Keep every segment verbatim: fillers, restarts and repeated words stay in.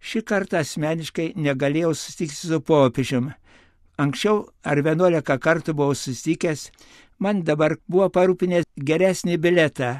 Šį kartą asmeniškai negalėjau susitikti su popiežiumi. Anksčiau ar vienuolika kartų buvau susitikęs, man dabar buvo parūpinęs geresnį biletą.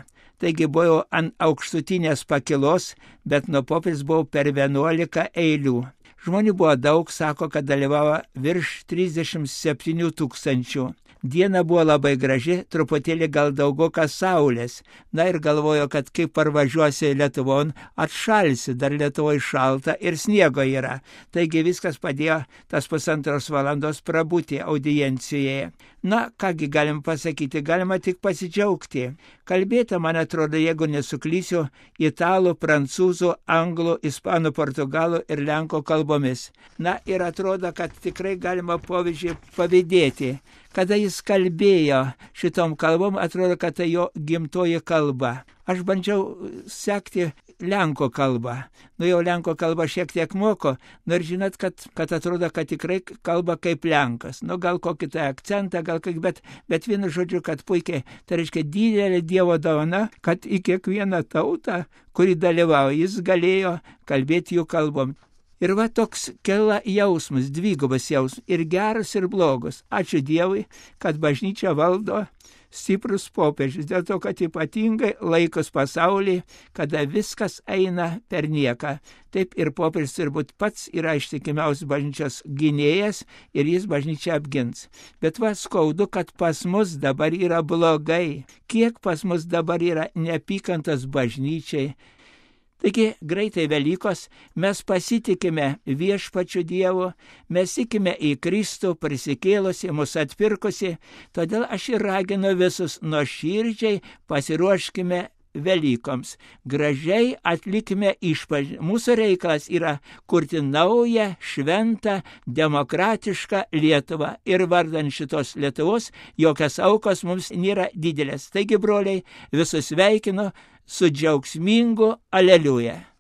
Taigi buvau ant aukštutinės pakilos, bet nuo popiežiaus buvau per vienuolika eilių. Žmonių buvo daug, sako, kad dalyvavo virš trisdešimt septynių tūkstančių. Diena buvo labai graži, truputėlį gal daugokas saulės. Na ir galvoju, kad kai parvažiuosi Lietuvon, atšalsi, dar Lietuvoje šalta ir sniego yra. Taigi viskas padėjo tas pusantros valandos prabūti audiencijoje. Na, kągi galim pasakyti, galima tik pasidžiaugti. Kalbėta, man atrodo, jeigu nesuklysiu, italų, prancūzų, anglų, ispanų, portugalų ir lenkų kalbomis. Na ir atrodo, kad tikrai galima popiežiui pavydėti. Kada jis kalbėjo šitom kalbom, atrodo, kad tai jo gimtoji kalba. Aš bandžiau sekti lenkų kalbą. Nu jau lenkų kalbą šiek tiek moko, nors žinot, kad, kad atrodo, kad tikrai kalba kaip lenkas. Nu gal kokį tai akcentą, gal kaip, bet, bet vienu žodžiu, kad puikiai, tai reiškia didelė Dievo dovana, kad į kiekvieną tautą, kuri dalyvauja, jis galėjo kalbėti jų kalbom. Ir va toks kela jausmas, dvigubas jausmas, ir geras, ir blogas. Ačiū Dievui, kad bažnyčia valdo stiprus popiežius, dėl to, kad ypatingai laikos pasaulyje, kada viskas eina per nieką. Taip ir popiežius turbūt pats yra ištikimiausias bažnyčios gynėjas ir jis bažnyčią apgins. Bet va skaudu, kad pas mus dabar yra blogai. Kiek pas mus dabar yra neapykantos bažnyčiai. Taigi greitai Velykos, mes pasitikime viešpačiu Dievu, mes tikime į Kristų prisikėlusi, mus atpirkusi, todėl aš ir raginu visus nuoširdžiai pasiruoškime Velykoms. Gražiai atlikime išpažinti. Mūsų reikalas yra kurti naują, šventą, demokratišką Lietuvą. Ir vardan šitos Lietuvos jokios aukos mums nėra didelės. Taigi, broliai, visus sveikinu su džiaugsmingu aleliuja.